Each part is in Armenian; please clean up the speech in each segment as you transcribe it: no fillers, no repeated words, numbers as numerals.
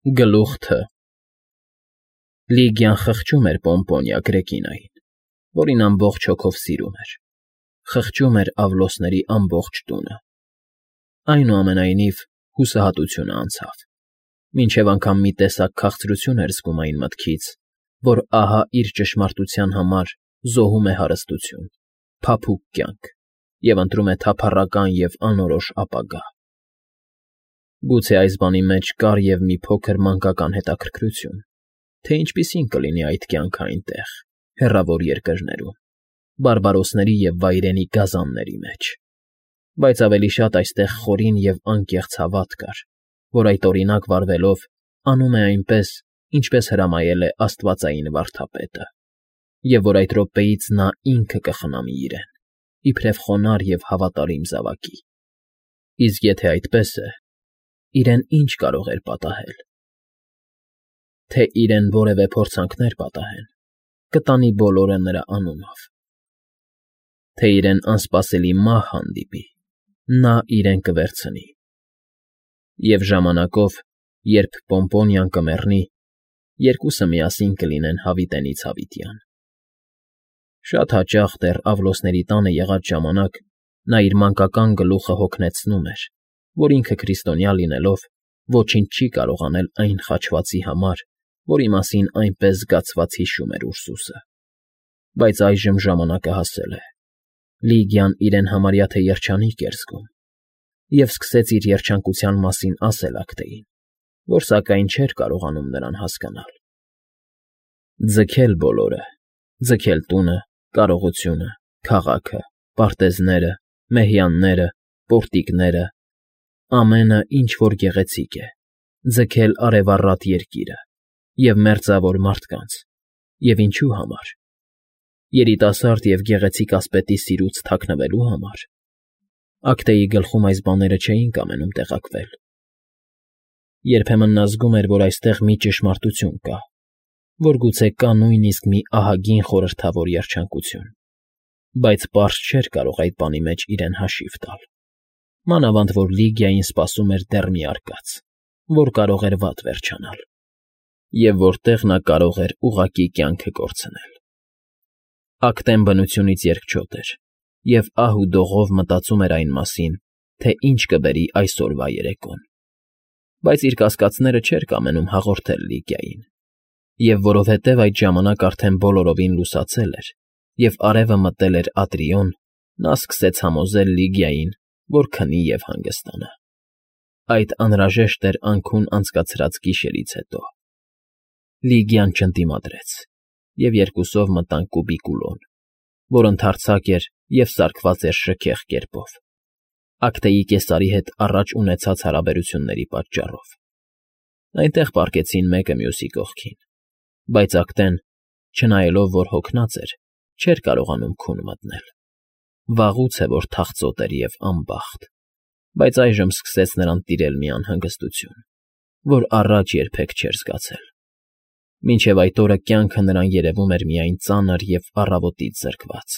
Գլուխ Თ. Լիգիան խղճում էր Պոմպոնիա Գրեկինային, որին ամբողջ հոգով սիրում էր, խղճում էր Ավլոսների ամբողջ տունը. այնուամենայնիվ հուսահատությունը անցավ, մինչև անգամ մի տեսակ քաղցրություն էր զգում այն մտքից, որ ահա իր ճշմարտության համար զոհում է հարստություն, փափուկ կյանք և ընտրում է թափառական և անորոշ ապագա։ Գուցե այս բանի մեջ կար և մի փոքր մանկական հետաքրքրություն, թե ինչպիսին կլինի այդ կյանքը այնտեղ, հեռավոր երկրներում, բարբարոսների և վայրենի գազանների մեջ, բայց ավելի շատ այստեղ խորին և անկեղծ հավատ կար, որ այդ օրինակ վարվելով անում է այնպես, ինչպես հրամայել է աստվածային վարդապետը, և որ այդ րոպեից նա ինքը կխնամի իրեն, իբրև խոնարհ և հավատարիմ զավակի։ Իսկ եթե այդպես է, իրեն ինչ կարող էր պատահել։ Թե իրեն որևէ փորձանքներ պատահեն, կտանի բոլորը նրա անունով։ Թե իրեն անսպասելի մահ հանդիպի, նա իրեն կվերցնի։ Եվ ժամանակով, երբ Պոմպոնիան կմեռնի, երկուսը միասին կլինեն հավիտենից հավիտյան։ Շատ հաճախ դեռ Ավլոսների տանը եղած ժամանակ նա իր մանկական գլուխը հոգնեցնում էր, որ ինքը քրիստոնյա լինելով ոչինչ չի կարող անել այն խաչվածի համար, որի մասին այնպես զգացված հիշում էր Ուրսուսը։ Բայց այժմ ժամանակը հասել է։ Լիգիան իրեն համարյա թե երջանիկ էր զգում և սկսեց իր երջանկության մասին ասել Ակտեին, որ սակայն չէր կարողանում նրան հասկանալ։ Ձգել բոլորը, ձգել տունը, կարողությունը, քաղաքը, պարտեզները, մեհյանները, պորտիկները, ամենը, ինչ որ գեղեցիկ է, ձգել արևառատ երկիրը և մերձավոր մարդկանց, և ինչու համար։ Երիտասարդ և գեղեցիկ ասպետի սիրուց թաքնվելու համար։ Ակտեի գլխում այս բաները չէին կամենում տեղաքվել։ Երբեմն նա զգում էր, որ այստեղ մի ճշմարտություն կա, որ գուցե կա նույնիսկ մի ահագին խորհրդավոր երջանկություն, բայց պարզ չէր կարող այդ բանի մեջ իրեն հաշիվ տալ։ Մանավանդ որ Լիգիային սպասում էր դեռ մի արկած, որ կարող էր վատ վերջանալ, և որտեղ նա կարող էր ուղղակի կյանքը կորցնել։ Ակտեն բնությունից երկչոտ էր և ահ ու դողով մտածում էր այն մասին, թե ինչ կբերի այսօրվա երեկոն։ Բայց իր կասկածները չէր կամենում հաղորդել Լիգիային, և որովհետև այդ ժամանակ արդեն բոլորովին լուսացել էր, և արևը մտել էր Ատրիոն, նա սկսեց համոզել Լիգիային, որ քնի և հանգստանա։ Այդ անհրաժեշտ էր անքուն անցկացրած գիշերից հետո։ Լիգիան չընդդիմադրեց, և երկուսով մտան կուբիկուլոն, որ ընդարձակ էր և սարքված էր շքեղ կերպով, Ակտեի կեսարի հետ առաջ ունեցած հարաբերությունների պատճառով։ Այնտեղ պառկեցին մեկը մյուսի կողքին, բայց Ակտեն, չնայելով որ հոգնած էր, չէր կարողանում քուն մտնել։ Վաղուց է որ թախծոտ էր և անբախտ, բայց այժմ սկսեց նրան տիրել մի անհանգստություն, որ առաջ երբեք չէր զգացել։ Մինչև այդ օրը կյանքը նրան երևում էր միայն ծանր և առավոտից զրկված։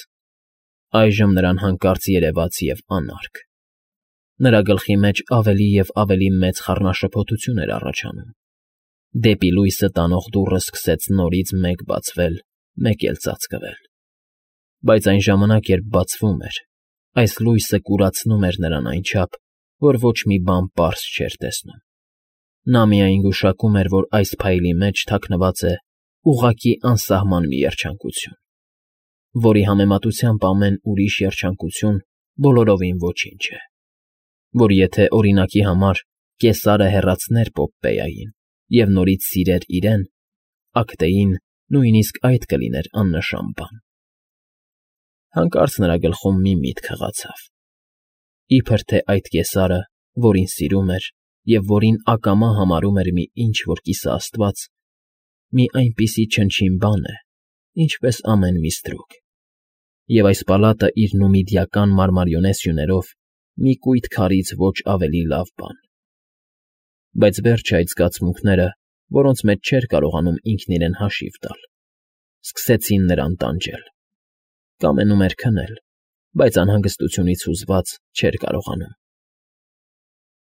Այժմ նրան հանկարծ երևաց և անարգ։ Նրա գլխի մեջ ավելի և ավելի մեծ խառնաշփոթություն էր առաջանում։ Դեպի լույսը տանող դուռը սկսեց նորից մեկ բացվել, մեկ էլ ծածկվել։ Բայց այն ժամանակ, երբ բացվում էր, այս լույսը կուրացնում էր նրան այնչափ, որ ոչ մի բան պարզ չէր տեսնում։ Նա միայն գուշակում էր, որ այս փայլի մեջ թաքնված է ուղղակի անսահման մի երջանկություն, որի համեմատությամբ ամեն ուրիշ երջանկություն բոլորովին ոչինչ է, որ եթե, օրինակի համար, Կեսարը հեռացներ Պոպպեյային և նորից սիրեր իրեն, Ակտեին նույնիսկ այդ կլիներ աննշան բան։ Հանկարծ նրա գլխում մի միտք հղացավ. իբր թե այդ Կեսարը, որին սիրում էր և որին ակամա համարում էր մի ինչ֊որ կիսաաստված, մի այնպիսի չնչին բան է, ինչպես ամեն մի ստրուկ, և այս պալատը իր նումիդիական մարմարիոնե սյուներով մի կույտ քարից ոչ ավելի լավ բան։ Բայց վերջը այդ զգացմունքները, որոնց մեջ չէր կարողանում ինքն իրեն հաշիվ տալ, սկսեցին նրան տանջել։ Կամենում էր քնել, բայց անհանգստությունից հուզված չէր կարողանում։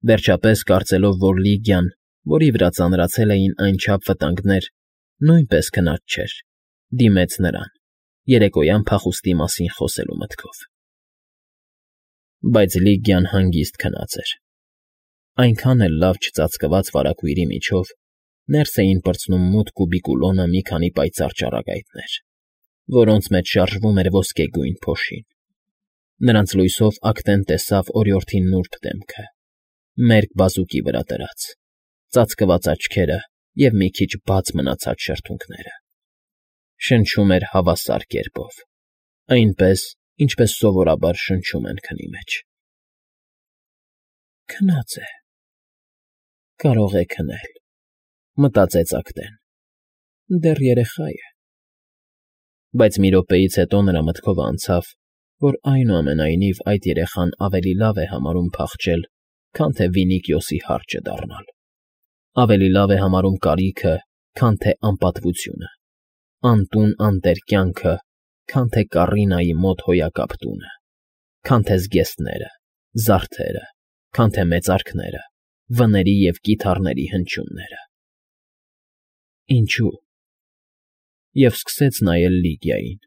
Վերջապես, կարծելով, որ Լիգիան, որի վրա ծանրացել էին այնչափ վտանգներ, նույնպես քնած չէր, դիմեց նրան, երեկոյան փախուստի մասին խոսելու մտքով։ Բայց Լիգիան հանգիստ քնած էր։ Այնքան էլ լավ չծածկված վարագույրի միջով ներս էին պրծնում մութ կուբիկուլոնը մի քանի պայծառ ճառագայթներ, որոնց մեջ շարժվում էր ոսկեգույն փոշին։ Նրանց լույսով Ակտեն տեսավ օրիորդի նուրբ դեմքը, մերկ բազուկի վրա դրած, ծածկված աչքերը և մի քիչ բաց մնացած շրթունքները։ Շնչում էր հավասար կերպով, այնպես, ինչպես սովորաբար շնչում են քնի մեջ։ Քնած է, կարող է քնել, մտածեց Ակտեն, դեռ երեխա է։ Բայց մի րոպեից հետո նրա մտքով անցավ, որ այնուամենայնիվ այդ երեխան ավելի լավ է համարում փախչել, քան թե Վինիկիոսի հարճը դառնալ, ավելի լավ է համարում կարիքը, քան թե անպատվությունը, անտուն անտեր կյանքը, քան թե Կառինայի մոտ հոյակապ տունը, քան թե զգեստները, զարդերը, քան թե մեծարքները, վների և կիթառների հնչյունները։ Ինչու՞։ Եվ սկսեց նայել Լիգիային,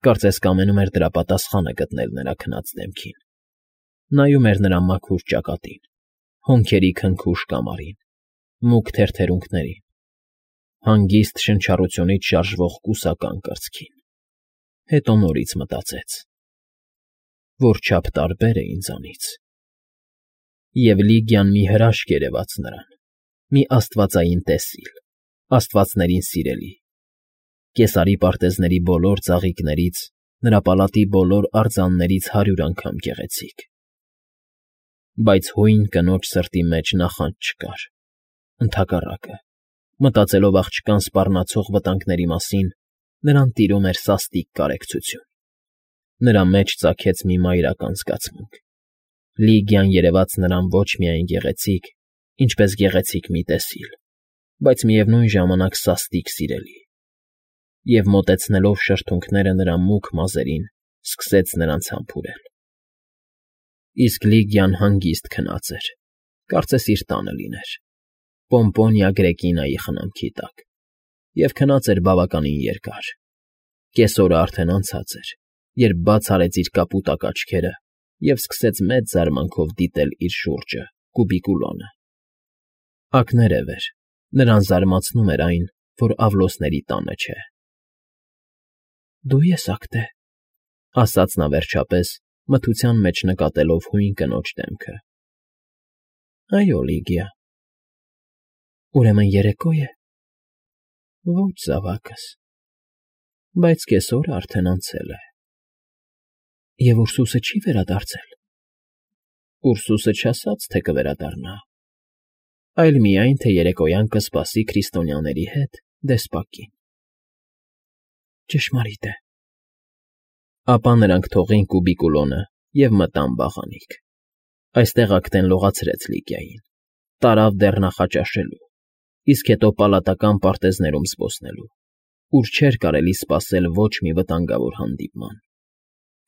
կարծես կամենում էր դրա պատասխանը գտնել նրա քնած դեմքին։ Նայում էր նրա մաքուր ճակատին, հոնքերի քնքուշ կամարին, մուգ թերթերունքներին, հանգիստ շնչառությունից շարժվող կուսական կրծքին։ Հետո նորից մտածեց. որչափ տարբեր է ինձանից։ Եվ Լիգիան մի հրաշք երևաց նրան, մի աստվածային տեսիլ, աստվածներին սիրելի, Կեսարի պարտեզների բոլոր ծաղիկներից, նրա պալատի բոլոր արձաններից 100 անգամ գեղեցիկ։ Բայց հույն կնոջ սրտի մեջ նախանձ չկար, ընդհակառակը, մտածելով աղջկան սպառնացող վտանգների մասին, նրան տիրում էր սաստիկ կարեկցություն։ Նրա մեջ ծագեց մի մայրական զգացմունք։ Լիգիան երևաց նրան ոչ միայն գեղեցիկ, ինչպես գեղեցիկ մի տեսիլ, բայց միևնույն ժամանակ սաստիկ սիրելի։ Եվ մոտեցնելով շրթունքները նրա մուգ մազերին, սկսեց նրանց համբուրել։ Իսկ Լիգիան հանգիստ քնած էր, կարծես իր տանը լիներ, Պոմպոնիա Գրեկինայի խնամքի տակ, և քնած էր բավականին երկար։ Կեսօրը արդեն անցած էր, երբ բաց արեց իր կապուտակ աչքերը և սկսեց մեծ զարմանքով դիտել իր շուրջը, կուբիկուլոնը։ Ակներև էր, նրան զարմացնում էր այն, որ Ավլոսների տանը չէ։ Դու ես Ակտե, ասաց նա վերջապես, մթության մեջ նկատելով հույն կնոջ դեմքը։ Այո, Լիգիա։ Ուրեմն երեկո է։ Ոչ, զավակս, բայց կեսօրը արդեն անցել է։ Եվ Ուրսուսը չի վերադարձել։ Ուրսուսը չասաց, թե կվերադառնա, այլ միայն, թե երեկոյան կսպասի քրիստոնյաների հետ դեսպակին։ Ճշմարիտ է։ Ապա նրանք թողին կուբիկուլոնը և մտան բաղանիք։ Այստեղ Ակտեն լողացրեց Լիգիային, տարավ դեռ նախաճաշելու, իսկ հետո պալատական պարտեզներում զբոսնելու, ուր չէր կարելի սպասել ոչ մի վտանգավոր հանդիպման,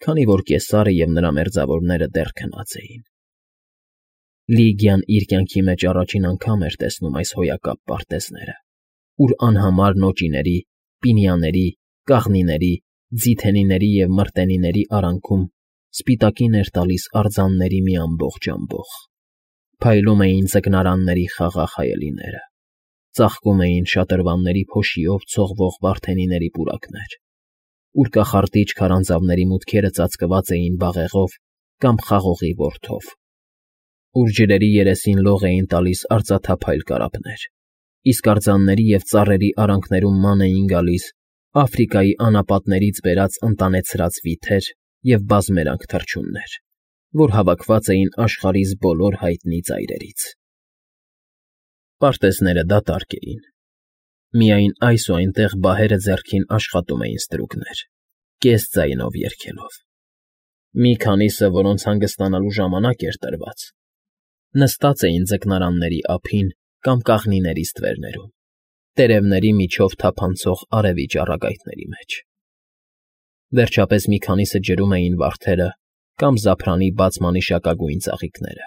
քանի որ Կեսարը և նրա մերձավորները դեռ քնած էին։ Լիգիան իր կյանքի մեջ առաջին անգամ էր տեսնում այս հոյակապ պարտեզները, ուր անհամար նոճիների, պինիաների, կաղնիների, ձիթենիների և մրտենիների արանքում սպիտակին էր տալիս արձանների մի ամբողջ ամբոխ, փայլում էին ձկնարանների խաղաղ հայելիները, ծաղկում էին շատրվանների փոշիով ցողվող վարդենիների պուրակներ, ուր կախարդիչ քարանձավների մուտքերը ծածկված էին բաղեղով կամ խաղողի որդով, ուր ջրերի երեսին լող էին տալիս արծաթափայլ կարապներ, իսկ արձանների և ծառերի արանքներում ման էին գալիս Աֆրիկայի անապատներից բերած ընտանեցրած վիթեր և բազմերանգ թռչուններ, որ հավաքված էին աշխարհիս բոլոր հայտնի ծայրերից։ Պարտեզները դատարկ էին։ Միայն այս ու այնտեղ բահերը ձեռքին աշխատում էին ստրուկներ, կես ձայնով երգելով։ Մի քանիսը, որոնց հանգստանալու ժամանակ էր տրված, նստած էին ձկնարանների ափին կամ կաղնիների ստվերներում, տերևների միջով թափանցող արևի ճառագայթների մեջ։ Վերջապես մի քանիսը ջրում էին վարդերը կամ զափրանի բաց մանիշակագույն ծաղիկները։